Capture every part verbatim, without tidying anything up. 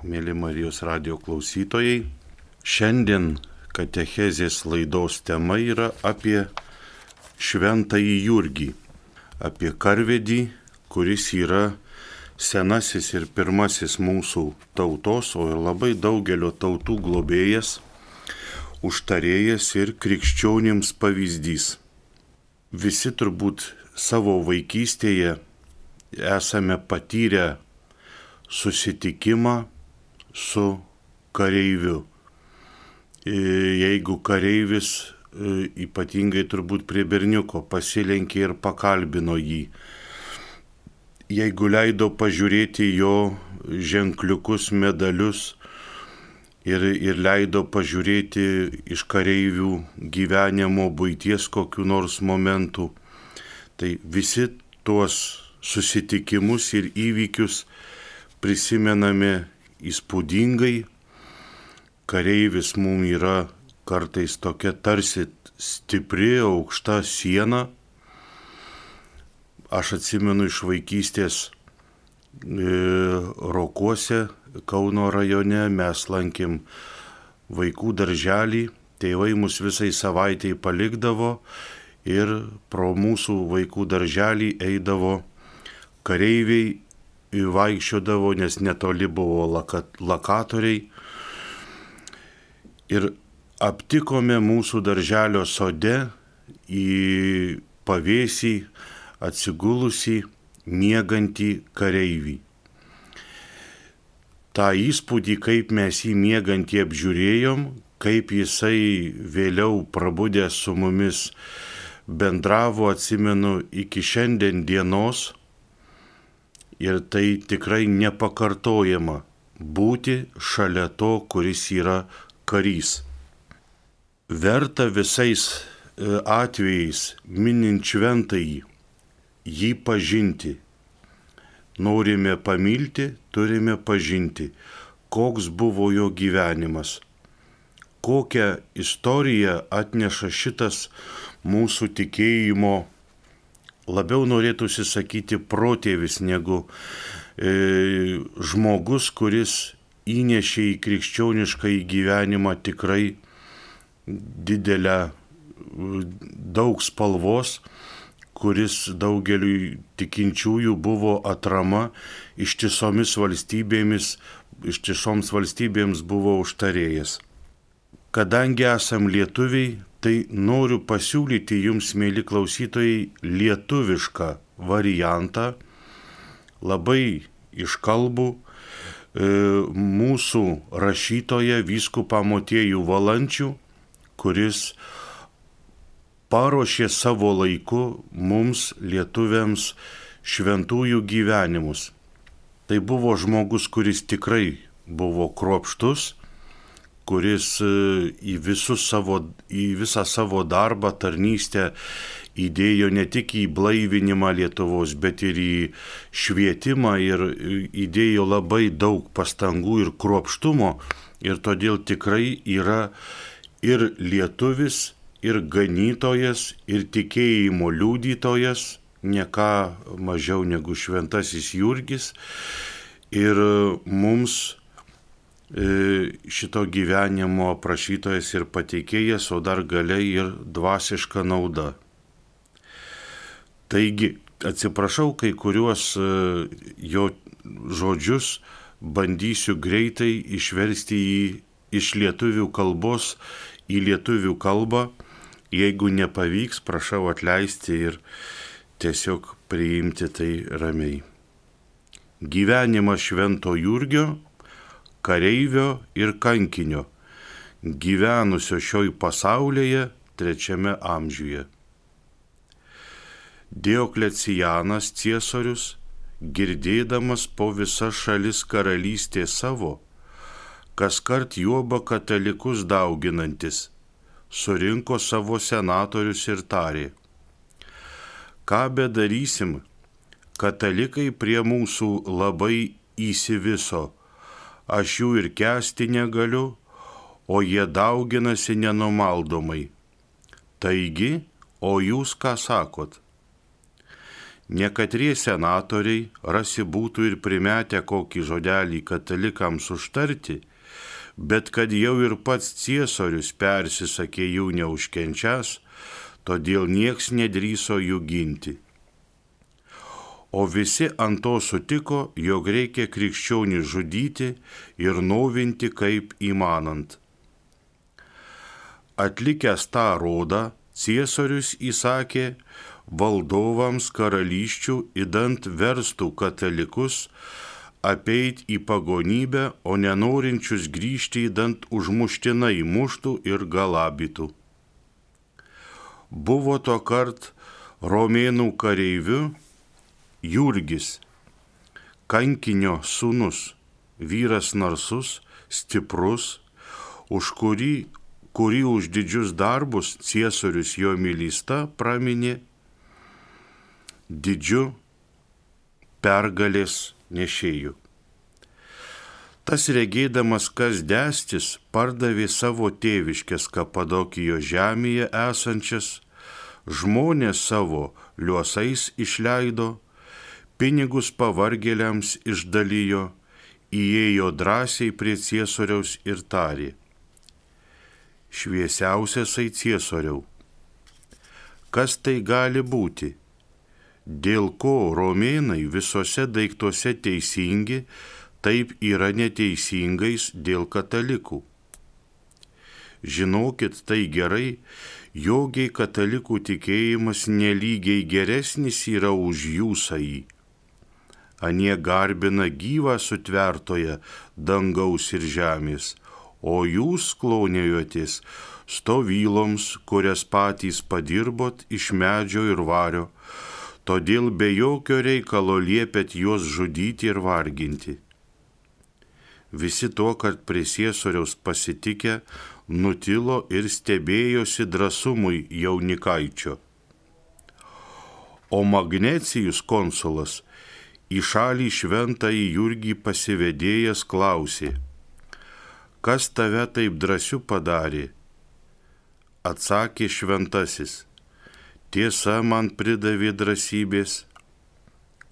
Mėly Marijos radijo klausytojai, šiandien katechezės laidos tema yra apie Šventąjį Jurgį, apie karvedį, kuris yra senasis ir pirmasis mūsų tautos, o ir labai daugelio tautų globėjas, užtarėjas ir krikščionims pavyzdys. Visi turbūt savo vaikystėje esame patyrę susitikimą su kareiviu. Jeigu kareivis, ypatingai turbūt prie berniuko, pasilenkė ir pakalbino jį. Jeigu leido pažiūrėti jo ženkliukus, medalius ir, ir leido pažiūrėti iš kareivių gyvenimo buities kokių nors momentų, tai visi tuos susitikimus ir įvykius prisimename įspūdingai. Kareivis mums yra kartais tokia tarsi stipri, aukšta siena. Aš atsimenu iš vaikystės e, Rokuose, Kauno rajone, mes lankėm vaikų darželį, tėvai mus visai savaitėj palikdavo ir pro mūsų vaikų darželį eidavo kareiviai, vaikščiodavo, nes netoli buvo lakat, lakatoriai. Ir aptikome mūsų darželio sode į pavėsį atsigulusi miegantį kareivį. Ta įspūdį, kaip mes jį miegantį apžiūrėjom, kaip jisai vėliau prabudęs su mumis bendravo, atsimenu iki šiandien dienos. Ir tai tikrai nepakartojama būti šalia to, kuris yra karys. Verta visais atvejais minint šventąjį, jį pažinti. Norime pamilti, turime pažinti, koks buvo jo gyvenimas, kokią istoriją atneša šitas mūsų tikėjimo, labiau norėtųsi sakyti protėvis negu e, žmogus, kuris įnešė į krikščionišką gyvenimą tikrai didelę, daug spalvos, kuris daugeliui tikinčiųjų buvo atrama, ištisomis valstybėmis, ištisoms valstybėms buvo užtarėjas. Kadangi esam lietuviai, tai noriu pasiūlyti jums, mėly klausytojai, lietuvišką variantą, labai iškalbų e, mūsų rašytoją vyskupą Motiejų Valančių, kuris paruošė savo laiku mums, lietuviams, šventųjų gyvenimus. Tai buvo žmogus, kuris tikrai buvo kruopštus, kuris į, savo, į visą savo darbą, tarnystę įdėjo ne tik į blaivinimą Lietuvos, bet ir į švietimą ir įdėjo labai daug pastangų ir kruopštumo. Ir todėl tikrai yra ir lietuvis, ir ganytojas, ir tikėjimo liudytojas, ne ką mažiau negu šventasis Jurgis. Ir mums šito gyvenimo aprašytojas ir pateikėjas, o dar galiai ir dvasiška nauda. Taigi, atsiprašau, kai kuriuos jo žodžius bandysiu greitai išversti į, iš lietuvių kalbos į lietuvių kalbą. Jeigu nepavyks, prašau atleisti ir tiesiog priimti tai ramiai. Gyvenimas Švento Jurgio, kareivio ir kankinio, gyvenusio šioj pasaulyje trečiame amžiuje. Dioklecianas ciesorius, girdėdamas po visas šalis karalystė savo, kaskart juoba katalikus dauginantis, surinko savo senatorius ir tarė: ką bedarysim, katalikai prie mūsų labai įsiviso, aš jų ir kęsti negaliu, o jie dauginasi nenumaldomai. Taigi, o jūs ką sakot? Nekatrie senatoriai rasi būtų ir primetę kokį žodelį katalikams užtarti, bet kad jau ir pats Ciesorius persisakė jų neužkenčias, todėl nieks nedrįso jų ginti. O visi ant to sutiko, jog reikia krikščionį žudyti ir novinti kaip įmanant. Atlikęs tą rodą, Ciesorius įsakė valdovams karalysčių idant verstų katalikus apeit į pagonybę, o nenorinčius grįžti idant užmuštinai muštų ir galabytų. Buvo to kart romėnų kareiviu Jurgis, kankinio sūnus, vyras narsus, stiprus, už kurį, kurį už didžius darbus Ciesorius jo mylįsta praminė didžiu pergalės nešėjų. Tas regėdamas, kas dėstis, pardavė savo tėviškės Kapadokijos žemėje esančias, žmonės savo liuosais išleido, pinigus pavargėliams išdalijo, įėjo drąsiai prie Ciesoriaus ir tarė: šviesiausiasai Ciesoriau, kas tai gali būti, dėl ko romėnai visose daiktuose teisingi, taip yra neteisingais dėl katalikų? Žinokit tai gerai, jogiai katalikų tikėjimas nelygiai geresnis yra už jūsąjį. Anie garbina gyvą sutvertoje dangaus ir žemės, o jūs klonėjotės stovyloms, kurias patys padirbot iš medžio ir vario, todėl be jokio reikalo liepėt juos žudyti ir varginti. Visi to, kad prie Ciesoriaus pasitikę, nutilo ir stebėjosi drąsumui jaunikaičio. O Magnecijus konsulas į šalį šventąjį Jurgį pasivedėjęs klausė: kas tave taip drąsiu padarė? Atsakė šventasis: tiesa man pridavė drąsybės.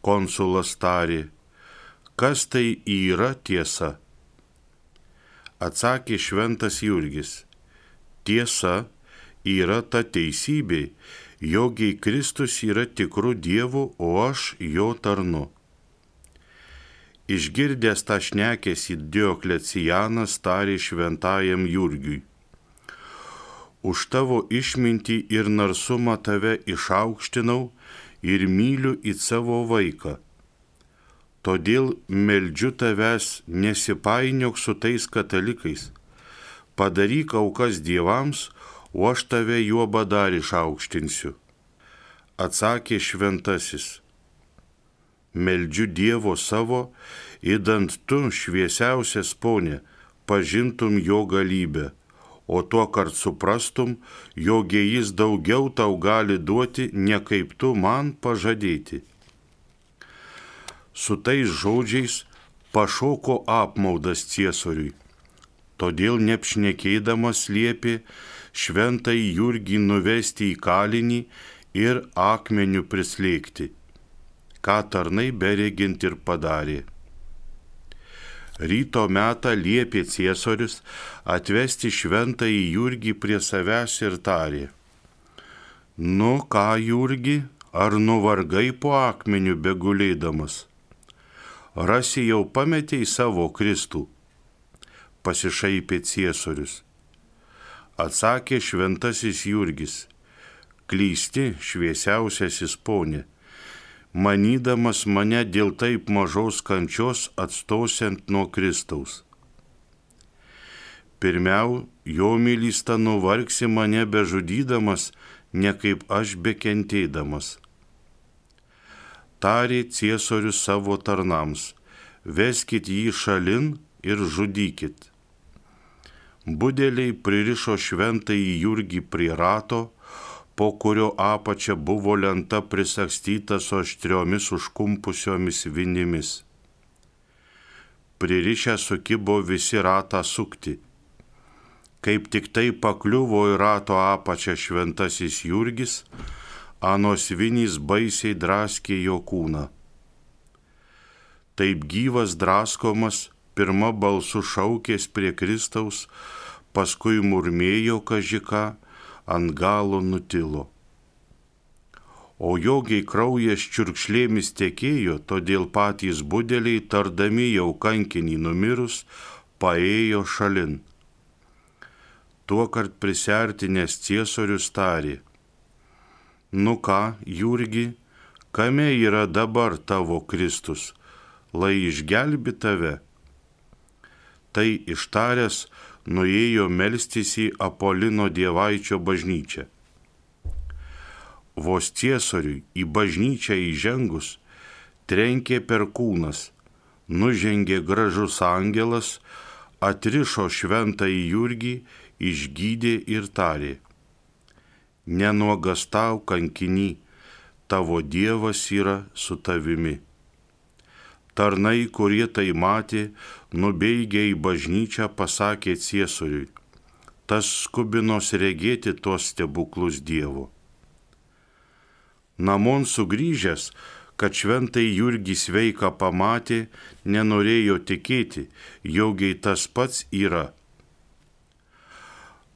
Konsulas tarė: kas tai yra tiesa? Atsakė šventas Jurgis: tiesa yra ta teisybė, jogiai Kristus yra tikru Dievu, o aš jo tarnu. Išgirdęs tą šnekesį Dioklecianas tarė šventajam Jurgiui: už tavo išmintį ir narsumą tave išaukštinau ir myliu į savo vaiką. Todėl meldžiu tavęs, nesipainiok su tais katalikais, padaryk aukas dievams, o aš tave juoba dar išaukštinsiu. Atsakė šventasis: meldžiu Dievo savo, idant tu, šviesiausias ponė, pažintum jo galybę, o tuo kart suprastum, jog jis daugiau tau gali duoti, ne kaip tu man pažadėti. Su tais žodžiais pašoko apmaudas Ciesoriui, todėl neapšnekėdamas liepė šventąjį Jurgį nuvesti į kalinį ir akmeniu prislėgti, ką tarnai beregint ir padarė. Ryto metą liepė Ciesorius atvesti šventąjį Jurgį prie savęs ir tarė: nu ką, Jurgi, ar nuvargai po akmeniu begulėdamas? Rasi jau pametei savo Kristų? Pasišaipė Ciesorius. Atsakė šventasis Jurgis: klysti, šviesiausiasis ponė, manydamas mane dėl taip mažos kančios atstosiant nuo Kristaus. Pirmiau, jo mylįsta nuvargsi mane bežudydamas, ne kaip aš bekentėdamas. Tarė Ciesorius savo tarnams: veskit jį šalin ir žudykit. Budeliai pririšo šventąjį Jurgį prie rato, po kurio apačia buvo lenta prisagstyta su aštriomis užkumpusiomis vinimis. Pririšę sukibo visi ratą sukti. Kaip tik tai pakliuvo į rato apačią šventasis Jurgis, anos vinys baisiai draskė jo kūną. Taip gyvas draskomas, pirma balsu šaukės prie Kristaus, paskui murmėjo kažką, ant galo nutilo. O jogiai kraujas čiurkšlėmis tekėjo, todėl patys budeliai, tardami jau kankinį numirus, paėjo šalin. Tuokart prisertinęs Ciesorius tarė: Nu ką, Jurgi, kame yra dabar tavo Kristus, lai išgelbi tave? Tai ištaręs nuėjo melstis į Apolino dievaičio bažnyčią. Vos Ciesoriui į bažnyčią įžengus, trenkė perkūnas, nužengė gražus angelas, atrišo šventąjį Jurgį, išgydė ir tarė: Nenuogastau, kankiny, tavo Dievas yra su tavimi. Tarnai, kurie tai matė, nubeigę į bažnyčią, pasakė Ciesoriui: Tas skubinos regėti tuos stebuklus Dievo. Namon sugrįžęs, kad šventai Jurgį sveiką pamatė, nenorėjo tikėti, jogiai tas pats yra.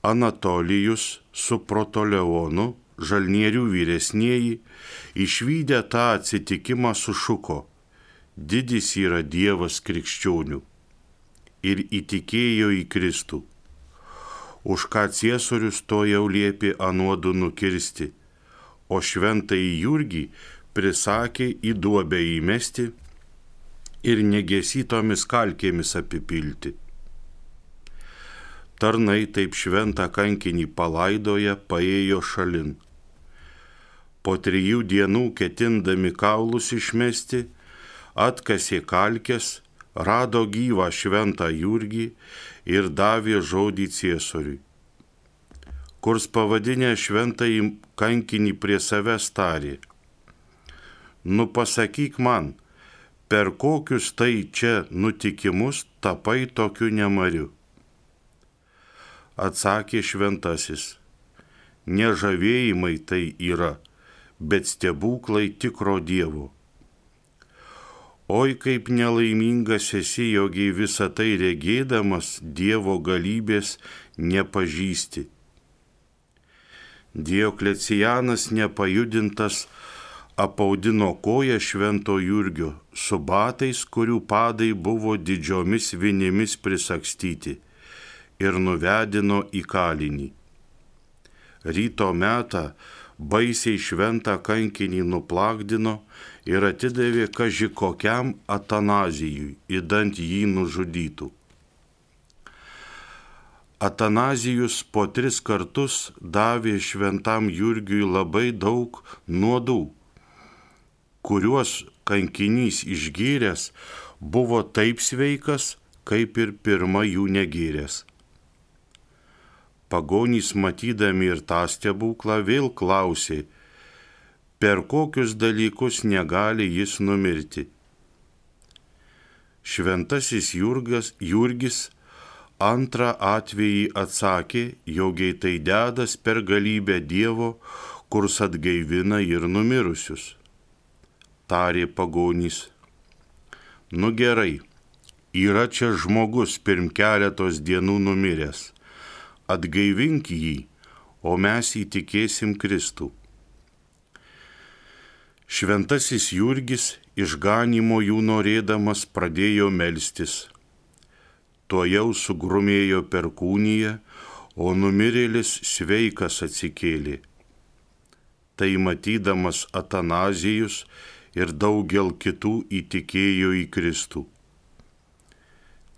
Anatolijus su Protoleonu, žalnierių vyresnieji, išvydę tą atsitikimą sušuko: Didis yra Dievas krikščionių, ir įtikėjo į Kristų. Už ką Ciesorius to jau liepė anuodu nukirsti, o šventąjį Jurgį prisakė į duobę įmesti ir negesytomis kalkėmis apipilti. Tarnai taip šventą kankinį palaidoję paėjo šalin. Po trijų dienų ketindami kaulus išmesti, atkasė kalkes, rado gyvą šventą Jurgį ir davė žodį Ciesoriui. Kurs pavadinę šventąjį kankinį prie savęs tarė: Nu pasakyk man, per kokius tai čia nutikimus tapai tokiu nemariu? Atsakė šventasis: Nežavėjimai tai yra, bet stebuklai tikro Dievo. Oi, kaip nelaimingas esi, jogiai visą tai regėdamas Dievo galybės nepažįsti. Dioklecianas nepajudintas apaudino koją švento Jurgio su batais, kurių padai buvo didžiomis vinimis prisagstyti, ir nuvedino į kalinį. Ryto metą baisiai šventą kankinį nuplakdino ir atidavė kaži kokiam Atanazijui, idant jį nužudytų. Atanazijus po tris kartus davė šventam Jurgiui labai daug nuodų, kuriuos kankinys išgėręs buvo taip sveikas, kaip ir pirma jų negėręs. Pagonys matydami ir tą stebuklą vėl klausė, per kokius dalykus negali jis numirti. Šventasis Jurgas, Jurgis antrą atvejį atsakė, jogiai tai dedas per galybę Dievo, kurs atgaivina ir numirusius. Tarė pagonys: Nu gerai, yra čia žmogus pirm keletos dienų numiręs, atgaivink jį, o mes įtikėsim Kristų. Šventasis Jurgis išganymo jų norėdamas pradėjo melstis. Tuojau sugrumėjo perkūnija, o numirėlis sveikas atsikėlė. Tai matydamas Atanazijus ir daugel kitų įtikėjo į Kristų.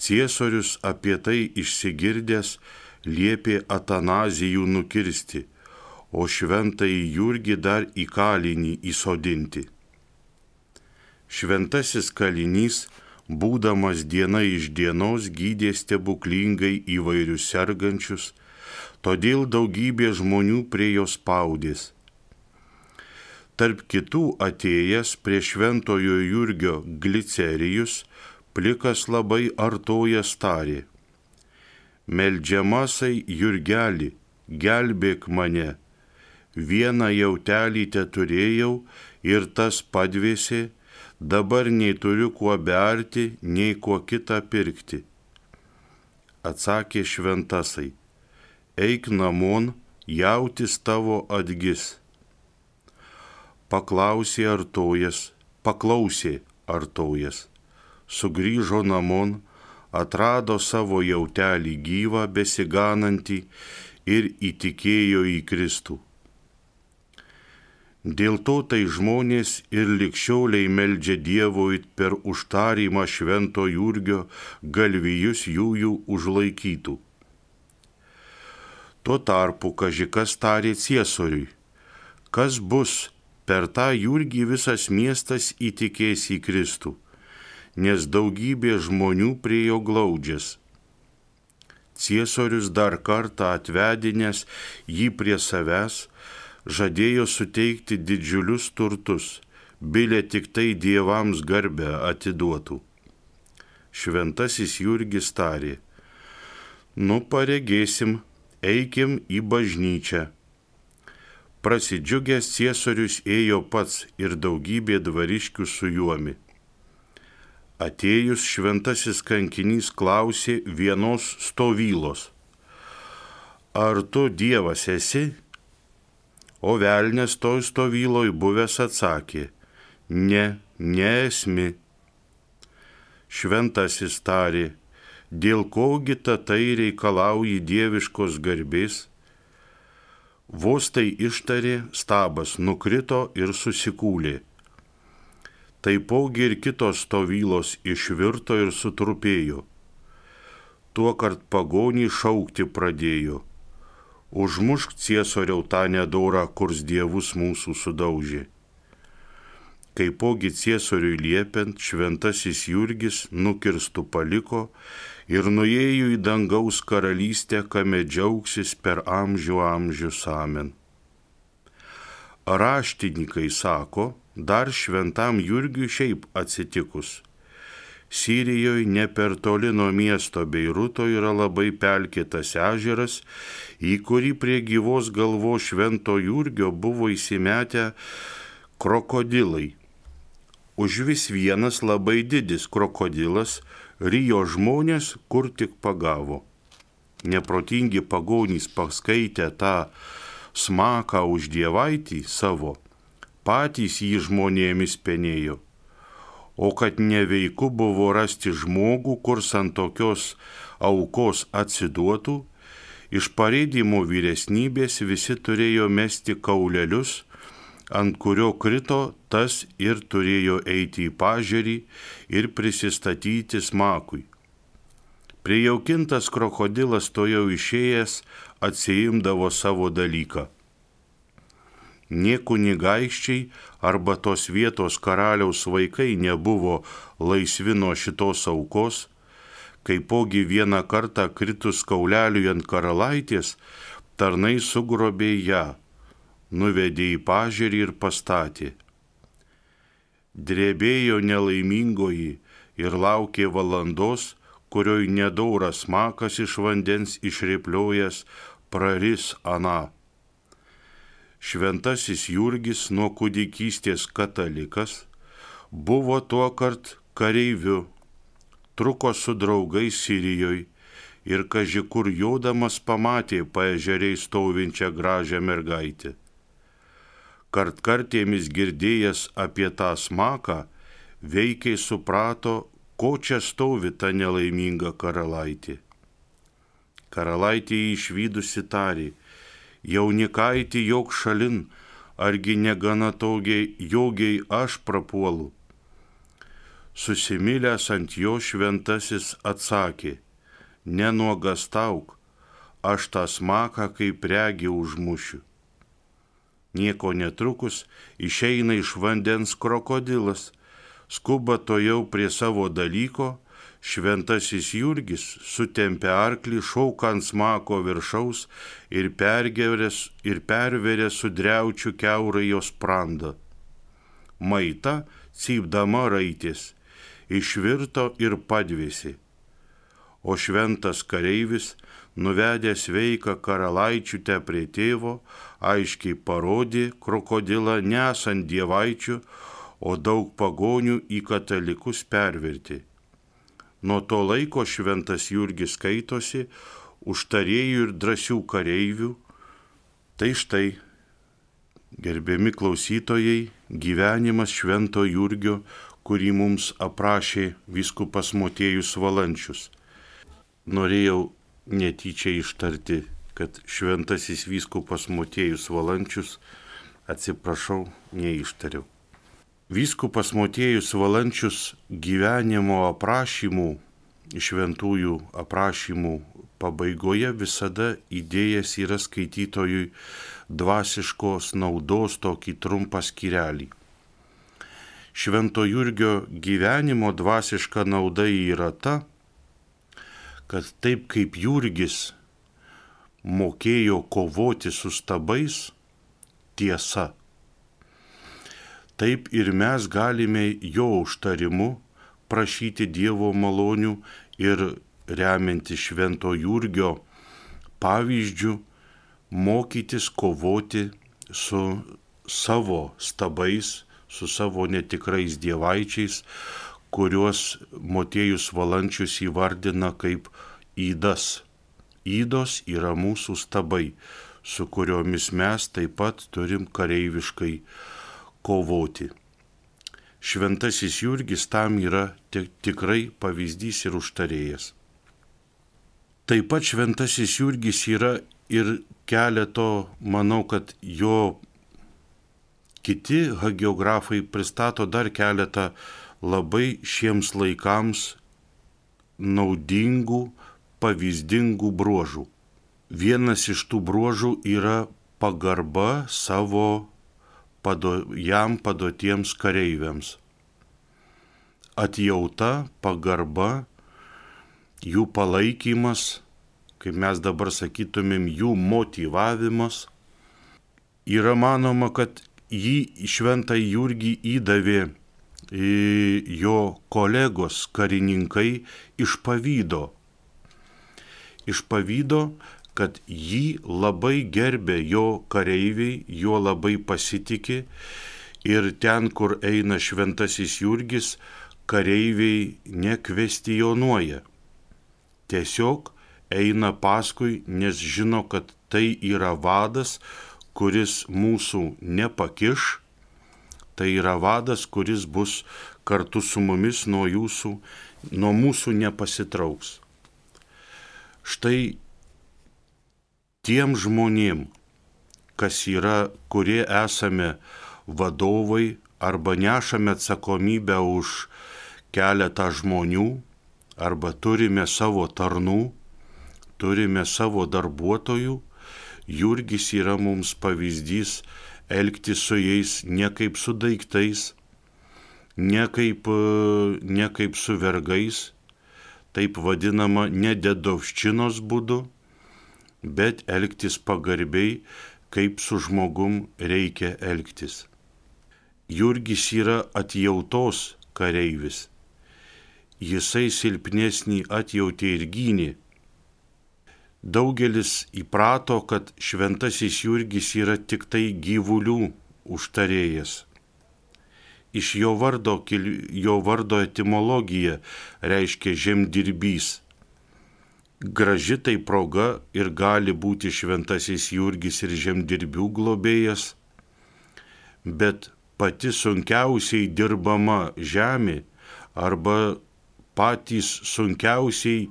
Ciesorius apie tai išsigirdęs liepė Atanazijų nukirsti, o šventąjį Jurgį dar į kalinį įsodinti. Šventasis kalinys, būdamas diena iš dienos, gydė stebuklingai įvairius sergančius, todėl daugybė žmonių prie jo spaudės. Tarp kitų atėjęs prie šventojo Jurgio Glicerijus, plikas labai artojas tarė: Meldžiamasai Jurgelį, gelbėk mane, vieną jautelį teturėjau ir tas padvėsė, dabar nei turiu kuo berti, nei kuo kitą pirkti. Atsakė šventasai, eik namon, jautis tavo atgis. Paklausė artojas, paklausė artojas, sugrįžo namon, atrado savo jautelį gyvą, besiganantį ir įtikėjo į Kristų. Dėl to tai žmonės ir ligšioliai meldžia Dievui per užtarimą švento Jurgio galvijus jųjų užlaikytų. Tuo tarpu kažikas tarė Ciesoriui, kas bus, per tą Jurgį visas miestas įtikės į Kristų, nes daugybė žmonių prie jo glaudžias. Ciesorius dar kartą atvedinęs jį prie savęs, žadėjo suteikti didžiulius turtus, bilė tik tai dievams garbę atiduotų. Šventasis Jurgis tarė, nu paregėsim, eikim į bažnyčią. Prasidžiugęs Ciesorius ėjo pats ir daugybė dvariškių su juomi. Atėjus šventasis kankinys klausė vienos stovylos, ar tu Dievas esi? O velnias toj stovyloj buvęs atsakė, ne, neesmi. Šventasis tarė, dėl kogi tai reikalauji dieviškos garbės? Vos tai ištarė, stabas nukrito ir susikūlė. Taipogi ir kitos stovylos išvirto ir sutrupėjo. Tuokart pagonį šaukti pradėjo. Užmušk Ciesoriau tą nedorą, kurs dievus mūsų sudaužė. Kaipogi Ciesoriui liepiant, šventasis Jurgis nukirstų paliko ir nuėjo į dangaus karalystę, kame džiaugsis per amžių amžius amen. Raštininkai sako, dar šventam Jurgiui šiaip atsitikus. Sirijoje ne per toli nuo miesto Beiruto yra labai pelkėtas ežeras, į kurį prie gyvos galvos švento Jurgio buvo įsimetę krokodilai. Užvis vienas labai didis krokodilas rijo žmonės, kur tik pagavo. Neprotingi pagonys paskaitę tą smaką už dievaitį savo, patys jį žmonėmis penėjo. O kad neveiku buvo rasti žmogų, kurs ant tokios aukos atsiduotų, iš pareidimo vyresnybės visi turėjo mesti kaulelius, ant kurio krito tas ir turėjo eiti į pažerį ir prisistatyti smakui. Prijaukintas krokodilas to jau išėjęs atsiimdavo savo dalyką. Nė kunigaikščiai arba tos vietos karaliaus vaikai nebuvo laisvi nuo šitos aukos, kaipogi vieną kartą kritus kauleliui ant karalaitės, tarnai sugrobė ją, nuvedė į pažerį ir pastatė. Drebėjo nelaimingoji ir laukė valandos, kurioj nedoras smakas iš vandens išrėpliojęs praris aną. Šventasis Jurgis nuo kūdikystės katalikas, buvo tuokart kareiviu, truko su draugais Sirijoje ir kaži kur jodamas pamatė paežeriai stovinčią gražią mergaitę. Kartkartėmis girdėjęs apie tą smaką, veikiai suprato, ko čia stovi ta nelaiminga karalaitė. Karalaitė jį išvydusi tarė, jaunikaitį jok šalin, argi negana togiai jogiai aš prapuolu. Susimilęs ant jo šventasis atsakė, nenuogastauk, aš tą smaką kaip regį užmušiu. Nieko netrukus išeina iš vandens krokodilas, skuba to jau prie savo dalyko, šventasis Jurgis sutempė arklį, šauka ant smako viršaus ir pergerės ir perverė sudriaučių kiaurai jos sprandą. Maita, cypdama raitės, išvirto ir padvėsi. o šventas kareivis, nuvedęs sveiką karalaičiutę prie tėvo, aiškiai parodė krokodilą nesant dievaičių, o daug pagonių į katalikus pervertė. Nuo to laiko šventas Jurgis skaitosi užtarėjų ir drąsių kareivių. Tai štai, gerbiami klausytojai, gyvenimas švento Jurgio, kurį mums aprašė vyskupas Motiejus Valančius. Norėjau netyčia ištarti, kad šventasis vyskupas Motiejus Valančius, atsiprašau, neištariau. Vyskupas Motiejus Valančius gyvenimo aprašymų, šventųjų aprašymų pabaigoje visada įdėjęs yra skaitytojui dvasiškos naudos tokį trumpą skyrelį. Švento Jurgio gyvenimo dvasiška nauda yra ta, kad taip kaip Jurgis mokėjo kovoti su stabais, tiesa, taip ir mes galime jo užtarimu prašyti Dievo malonių ir remianti švento Jurgio pavyzdžių mokytis kovoti su savo stabais, su savo netikrais dievaičiais, kuriuos Motiejus Valančius įvardina kaip ydas. Ydos yra mūsų stabai, su kuriomis mes taip pat turim kareiviškai kovoti. Šventasis Jurgis tam yra tikrai pavyzdys ir užtarėjas. Taip pat šventasis Jurgis yra ir keleto, manau, kad jo kiti hagiografai pristato dar keletą labai šiems laikams naudingų, pavyzdingų bruožų. Vienas iš tų bruožų yra pagarba savo pado, jam padotiems kareiviams. Atjauta, pagarba, jų palaikymas, kaip mes dabar sakytumėm, jų motyvavimas. Yra manoma, kad jį šventą Jurgį įdavė jo kolegos karininkai iš pavydo. Iš pavydo, kad jį labai gerbė jo kareiviai, juo labai pasitikė ir ten, kur eina šventasis Jurgis, kareiviai nekvestionuoja. Tiesiog eina paskui, nes žino, kad tai yra vadas, kuris mūsų nepakiš, tai yra vadas, kuris bus kartu su mumis nuo jūsų, nuo mūsų nepasitrauks. Štai tiem žmonėm, kas yra, kurie esame vadovai arba nešame atsakomybę už keletą žmonių, arba turime savo tarnų, turime savo darbuotojų, Jurgis yra mums pavyzdys elgtis su jais ne kaip su daiktais, ne kaip, ne kaip su vergais, taip vadinama ne dedovščinos būdu, bet elgtis pagarbiai, kaip su žmogum reikia elgtis. Jurgis yra atjautos kareivis. Jisai silpnesnį atjautė ir gynė. Daugelis įprato, kad šventasis Jurgis yra tik tai gyvulių užtarėjas. Iš jo vardo, jo vardo etimologija reiškia žemdirbys. Graži tai proga ir gali būti šventasis Jurgis ir žemdirbių globėjas, bet pati sunkiausiai dirbama žemė arba patys sunkiausiai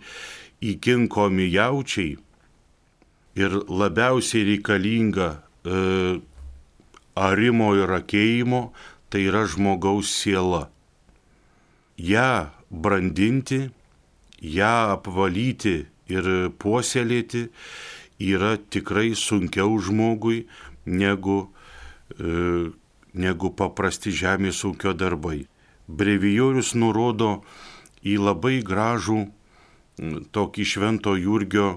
įkinkomi jaučiai ir labiausiai reikalinga e, arimo ir akėjimo, tai yra žmogaus siela. Ja brandinti, ją apvalyti ir puoselėti yra tikrai sunkiau žmogui negu, e, negu paprasti žemės ūkio darbai. Brevijorius nurodo į labai gražų tokį švento Jurgio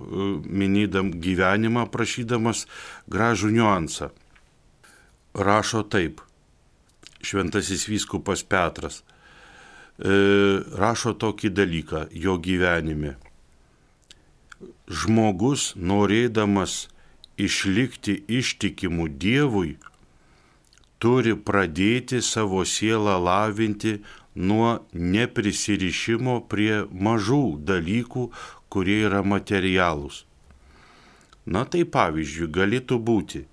minėdam gyvenimą, prašydamas gražų niuansą. Rašo taip, šventasis vyskupas Petras, e, rašo tokį dalyką jo gyvenime. žmogus, norėdamas išlikti ištikimu Dievui, turi pradėti savo sielą lavinti nuo neprisirišimo prie mažų dalykų, kurie yra materialūs. Na tai pavyzdžiui, galėtų būti,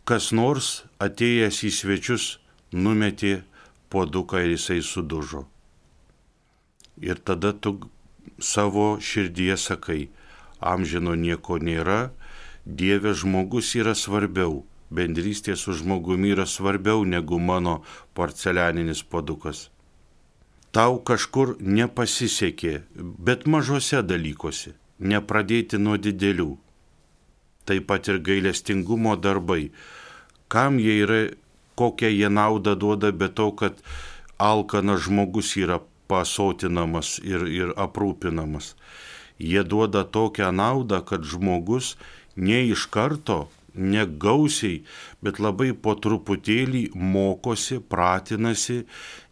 kas nors atėjęs į svečius numetė puoduką ir jisai sudužo. Ir tada tu savo širdyje sakai, amžino nieko nėra, Dieve žmogus yra svarbiau, bendrystė su žmogumi yra svarbiau negu mano porcelianinis puodukas. Tau kažkur nepasisekė, bet mažose dalykuose, nepradėti nuo didelių. Taip pat ir gailestingumo darbai. Kam jie yra, kokią jie naudą duoda, be to, kad alkanas žmogus yra pasotinamas ir, ir aprūpinamas. Jie duoda tokią naudą, kad žmogus ne iš karto, ne gausiai, bet labai po truputėlį mokosi, pratinasi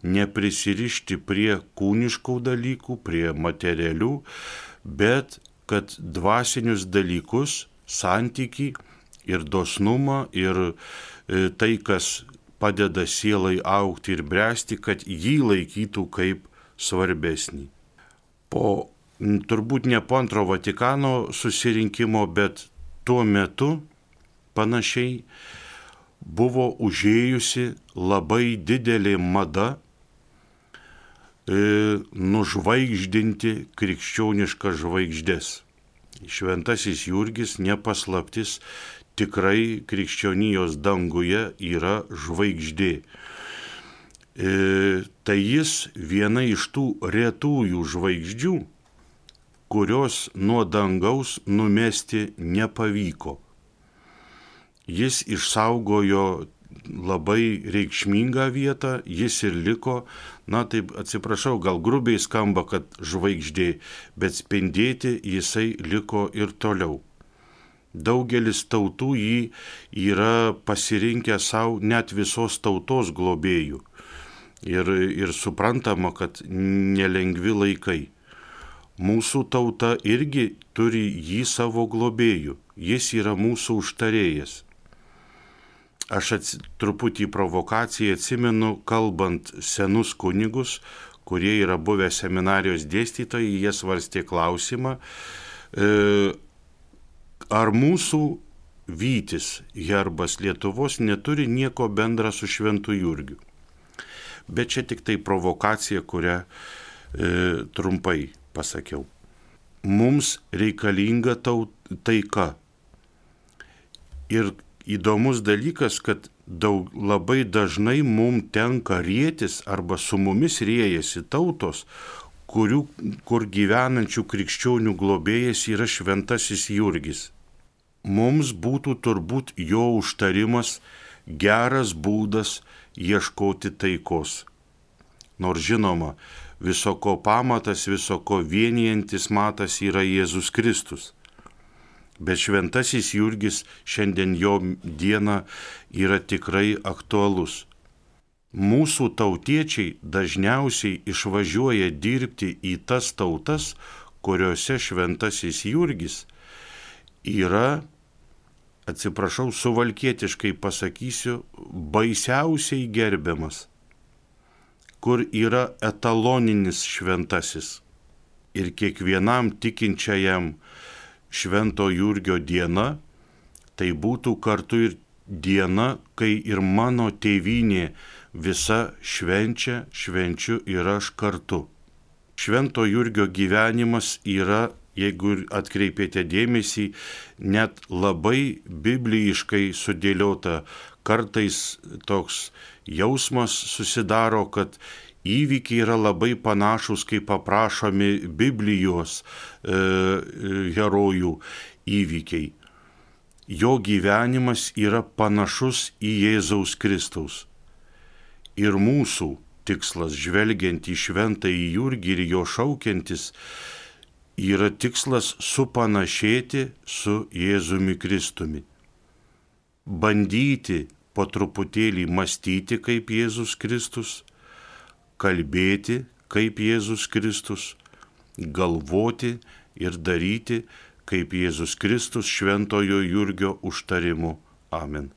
neprisirišti prie kūniškų dalykų, prie materialių, bet kad dvasinius dalykus, santykį ir dosnumą ir tai, kas padeda sielai augti ir bręsti, kad jį laikytų kaip svarbesnį. Po, turbūt ne po antro Vatikano susirinkimo, bet tuo metu panašiai buvo užėjusi labai didelė mada e, nužvaigždinti krikščioniškas žvaigždės. Šventasis Jurgis, nepaslaptis, tikrai krikščionijos danguje yra žvaigždė. E, tai jis viena iš tų retųjų žvaigždžių, kurios nuo dangaus numesti nepavyko. Jis išsaugojo labai reikšmingą vietą, jis ir liko, na taip atsiprašau, gal grubiai skamba, kad žvaigždė, bet spindėti jisai liko ir toliau. Daugelis tautų jį yra pasirinkę savo net visos tautos globėjų. Ir, ir suprantama, kad nelengvi laikai. Mūsų tauta irgi turi jį savo globėjų, jis yra mūsų užtarėjas. Aš ats, truputį provokaciją atsimenu, kalbant senus kunigus, kurie yra buvę seminarijos dėstytojai, jie svarstė klausimą, e, ar mūsų vytis, herbas Lietuvos, neturi nieko bendra su Šventu Jurgiu. Bet čia tik tai provokacija, kurią e, trumpai pasakiau. Mums reikalinga taut, taika. Ir įdomus dalykas, kad daug, labai dažnai mums tenka rietis arba su mumis riejasi tautos, kurių, kur gyvenančių krikščionių globėjas yra Šventasis Jurgis. Mums būtų turbūt jo užtarimas geras būdas ieškoti taikos. Nors žinoma, viso ko pamatas, viso ko vienijantis matas yra Jėzus Kristus. Bet Šventasis Jurgis šiandien jo diena yra tikrai aktualus. Mūsų tautiečiai dažniausiai išvažiuoja dirbti į tas tautas, kuriuose Šventasis Jurgis yra, atsiprašau, suvalkietiškai pasakysiu, baisiausiai gerbiamas, kur yra etaloninis šventasis. Ir kiekvienam tikinčiajam Švento Jurgio diena, tai būtų kartu ir diena, kai ir mano tėvynė visa švenčia, švenčiu ir aš kartu. Švento Jurgio gyvenimas yra, jeigu atkreipėte dėmesį, net labai bibliškai sudėliota. Kartais toks jausmas susidaro, kad įvykiai yra labai panašus, kaip aprašomi Biblijos e, herojų įvykiai. Jo gyvenimas yra panašus į Jėzaus Kristaus. Ir mūsų tikslas, žvelgiant į Šventąjį Jurgį ir jo šaukiantis, yra tikslas supanašėti su Jėzumi Kristumi. Bandyti po truputėlį mąstyti kaip Jėzus Kristus, kalbėti kaip Jėzus Kristus, galvoti ir daryti, kaip Jėzus Kristus šventojo Jurgio užtarimu. Amen.